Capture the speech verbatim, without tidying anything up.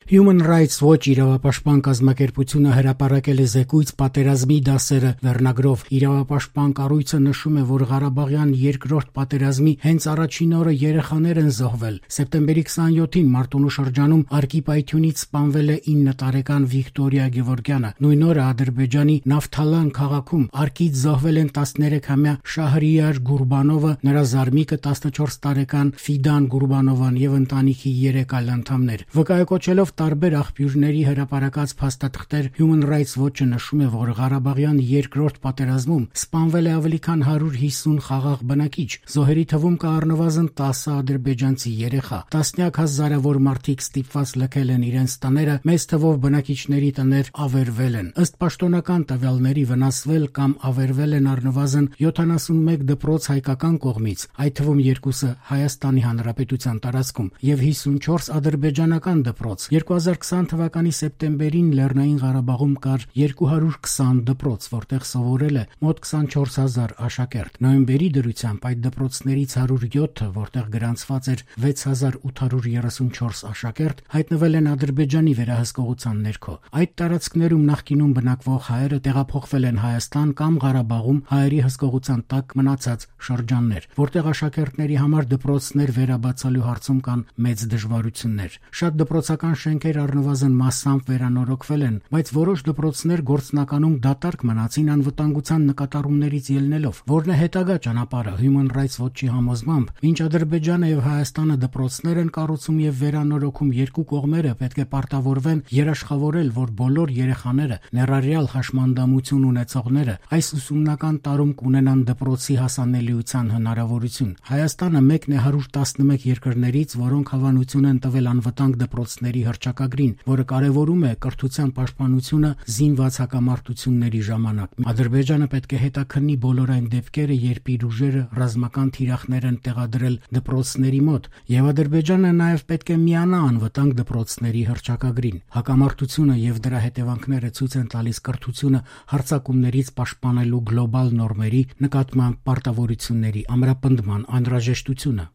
Human Rights Watch իրավապաշտպան կազմակերպությունը հրապարակել է զեկույց «Պատերազմի դասերը» վերնագրով։ Իրավապաշտպան կառույցը նշում է, որ Ղարաբաղյան երկրորդ պատերազմի հենց առաջին օրը երեխաներ են զոհվել։ Սեպտեմբերի քսաներկուին Մարտունու շրջանում Արկի պայթյունից սպանվել է ինը տարեկան Վիկտորիա Գևորգյանը։ Նույն օրը Ադրբեջանի Նավթալան քաղաքում Արկից զոհվել են տասներեքամյա Շահրիար Գուրբանովը, նրա զարմիկը տասնչորս տարեկան Ֆիդան Գուրբանովան եւ ընտանիքի երեք այլ անդամներ։ Վկայակոչելով տարբեր աղբյուրների հրապարակած փաստաթղթեր, Human Rights Watch-ը նշում է, որ Ղարաբաղյան երկրորդ պատերազմում սպանվել է ավելի քան հարյուր հիսուն խաղաղ բնակիչ։ Զոհերի թվում կա առնվազն տասը ադրբեջանցի երեխա։ Տասնյակ հազարավոր մարդիկ ստիպված լքել են իրենց տները, մեծ թվով բնակիչների տներ ավերվել են։ Ըստ պաշտոնական տվյալների վնասվել կամ ավերվել են առնվազն յոթանասունմեկ դպրոց հայկական կողմից, այդ թվում երկուսը Հայաստանի Հանրապետության տարածքում եւ հիսունչորս ադրբեջանական դպրոց։ երկու հազար քսան թվականի սեպտեմբերին Լեռնային Ղարաբաղում կար երկու հարյուր քսան դպրոց, որտեղ սովորել է մոտ քսանչորս հազար աշակերտ։ Նոյեմբերի դրությամբ այդ դպրոցներից հարյուր յոթը, որտեղ գրանցված էր վեց հազար ութ հարյուր երեսունչորս աշակերտ, հայտնվել են Ադրբեջանի վերահսկողության ներքո։ Այդ տարածքներում նախկինում բնակվող հայերը տեղափոխվել են Հայաստան կամ Ղարաբաղում հայերի հսկողության տակ մնացած շրջաններ, որտեղ աշակերտների համար դպրոցներ վերաբացելու հարցում կան մեծ դժվարություններ։ Շատ դպրոցական շենքեր առնվազն մասամբ վերանորոգվել են, բայց որոշ դպրոցներ գործնականում դատարկ մնացին անվտանգության նկատառումներից ելնելով։ Որն է հետագա ճանապարհը? Human Rights Watch-ի համոզմամբ, մինչ Ադրբեջանը եւ Հայաստանը դպրոցներ են կառուցում եւ վերանորոգում, երկու կողմերը պետք է պարտավորվեն երաշխավորել, որ բոլոր երեխաները, ներառյալ հաշմանդամություն ունեցողները, այս ուսումնական տարում կունենան դպրոցի հասանելիության հնարավորություն։ Հայաստանը մեկն է հարյուր տասնմեկ երկրներից, որոնք հավանություն են տվել անվտանգ դպրոցների հռչակագրին, որը կարևորում է կրթության պաշտպանությունը զինված հակամարտությունների ժամանակ։ Ադրբեջանը պետք է հետաքննի բոլոր այն դեպքերը, երբ իր ուժերը ռազմական թիրախներ են տեղադրել դպրոցների մոտ, եւ Ադրբեջանը նաեւ պետք է միանա անվտանգ դպրոցների հռչակագրին։ Հակամարտությունը եւ դրա հետևանքները ցույց են տալիս կրթությունը հարձակումներից պաշտպանելու գլոբալ նորմերի նկատմամբ պարտավորությունների ամրապնդման անհրաժեշտությունը։